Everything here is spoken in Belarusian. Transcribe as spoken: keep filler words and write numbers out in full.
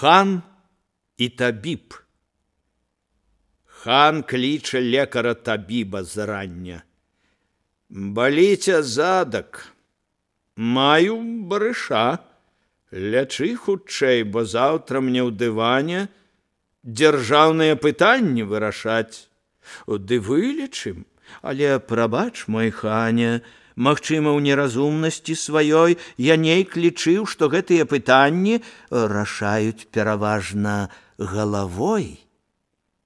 Хан і табіб. Хан кліча лекара табіба зарання. Баліце задак. Маю барыша. Лячы хутчэй, бо заўтра мне ў дыване дзяржаўныя пытанні вырашаць. Ды вылечым, але прабач, мой хане, магчыма, ў неразумнасці сваёй я нейк лічыў, што гэтыя пытанні рашаюць пераважна галавой.